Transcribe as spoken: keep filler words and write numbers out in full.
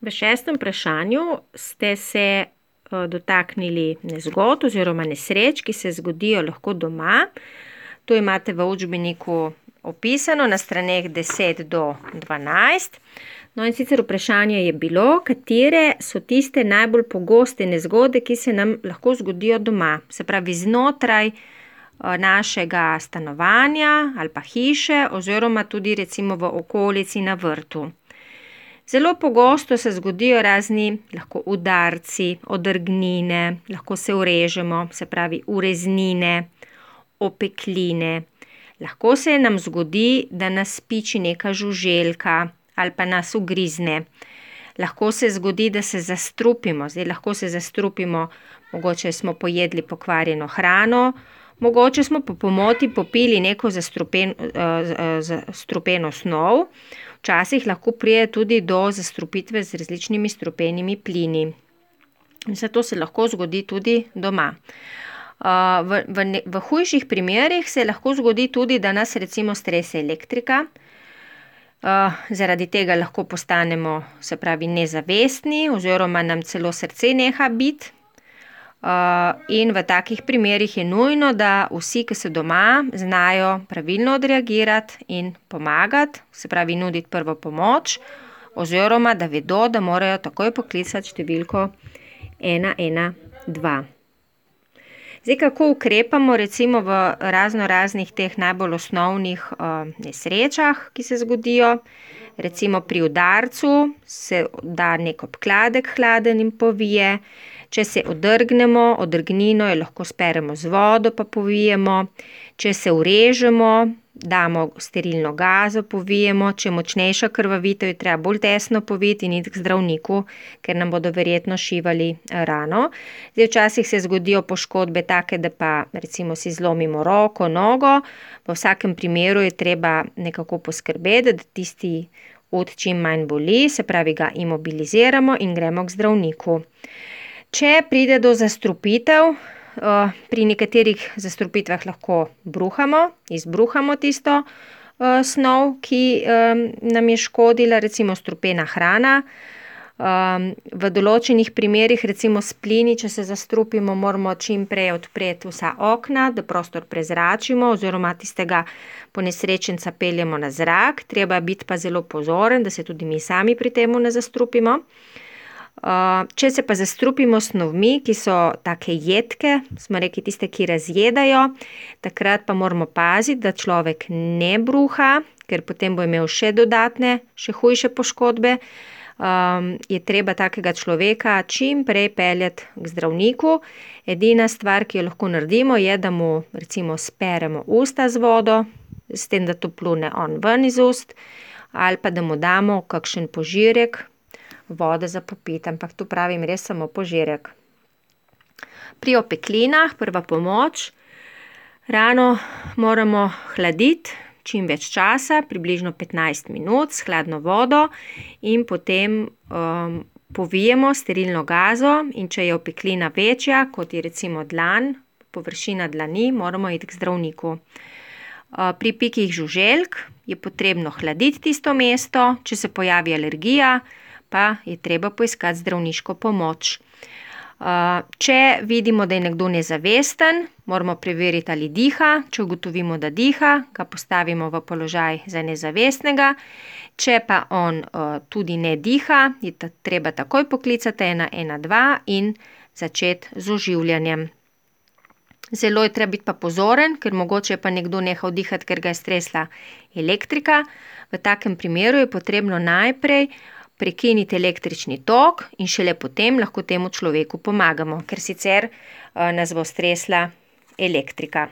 V šestem vprašanju ste se dotaknili nezgod oziroma nesreč, ki se zgodijo lahko doma. To imate v učbeniku opisano na straneh deset do dvanajst. No in sicer vprašanje je bilo, katere so tiste najbolj pogoste nezgode, ki se nam lahko zgodijo doma. Se pravi znotraj našega stanovanja ali pa hiše oziroma tudi recimo v okolici na vrtu. Zelo pogosto se zgodijo razni lahko udarci, odrgnine, lahko se urežemo, se pravi ureznine, opekline. Lahko se nam zgodi, da nas piči neka žuželka ali pa nas ugrizne. Lahko se zgodi, da se zastrupimo. Zdaj lahko se zastrupimo, mogoče smo pojedli pokvarjeno hrano, mogoče smo po pomoti popili neko zastrupen, zastrupeno snov. Včasih lahko pride tudi do zastrupitve z različnimi strupenimi plini. Vse to se lahko zgodi tudi doma. V, v, v hujših primerih se lahko zgodi tudi, da nas recimo strese elektrika. Zaradi tega lahko postanemo, se pravi, nezavestni oziroma nam celo srce neha biti. In v takih primerih je nujno, da vsi, ki so doma, znajo pravilno odreagirati in pomagati, se pravi nuditi prvo pomoč oziroma da vedo, da morajo takoj poklicati številko ena ena dva. Zdaj, kako ukrepamo recimo v razno raznih teh najbolj osnovnih nesrečah, ki se zgodijo. Recimo pri udarcu se da nek obkladek hladen in povije. Če se odrgnemo, odrgnino jo lahko speremo z vodo pa povijemo. Če se urežemo, damo sterilno gazo, povijemo. Če je močnejša krvavitev, je treba bolj tesno poviti in iti k zdravniku, ker nam bodo verjetno šivali rano. Zdaj, včasih se zgodijo poškodbe take, da pa recimo si zlomimo roko, nogo. V vsakem primeru je treba nekako poskrbeti, da tisti ud čim manj boli, se pravi ga imobiliziramo in gremo k zdravniku. Če pride do zastrupitev, pri nekaterih zastrupitvah lahko bruhamo, izbruhamo tisto snov, ki nam je škodila, recimo strupena hrana. V določenih primerih, recimo s plini, če se zastrupimo, moramo čim prej odpreti vsa okna, da prostor prezračimo oziroma tistega ponesrečenca peljemo na zrak. Treba biti pa zelo pozoren, da se tudi mi sami pri temu ne zastrupimo. Če se pa zastrupimo s snovmi, ki so take jedke, smo rekli tiste, ki razjedajo, takrat pa moramo paziti, da človek ne bruha, ker potem bo imel še dodatne, še hujše poškodbe. Je treba takega človeka čim prej peljati k zdravniku. Edina stvar, ki jo lahko naredimo, je, da mu recimo speremo usta z vodo, s tem, da to plune on ven iz ust, ali pa da mu damo kakšen požirek vode za popiti, ampak tu pravim res samo požirek. Pri opeklinah prva pomoč. Rano moramo hladiti čim več časa, približno petnajst minut s hladno vodo in potem um, povijemo sterilno gazo in če je opeklina večja, kot je recimo dlan, površina dlani, moramo iti k zdravniku. Uh, pri pikih žuželk je potrebno hladiti tisto mesto, če se pojavi alergija, pa je treba poiskati zdravniško pomoč. Če vidimo, da je nekdo nezavesten, moramo preveriti, ali diha. Če ugotovimo, da diha, ga postavimo v položaj za nezavestnega. Če pa on tudi ne diha, je treba takoj poklicati ena ena dva in začeti z oživljanjem. Zelo je treba biti pa pozoren, ker mogoče je pa nekdo nehal dihati, ker ga je stresla elektrika. V takem primeru je potrebno najprej prekiniti električni tok in šele potem lahko temu človeku pomagamo, ker sicer nas bo stresla elektrika.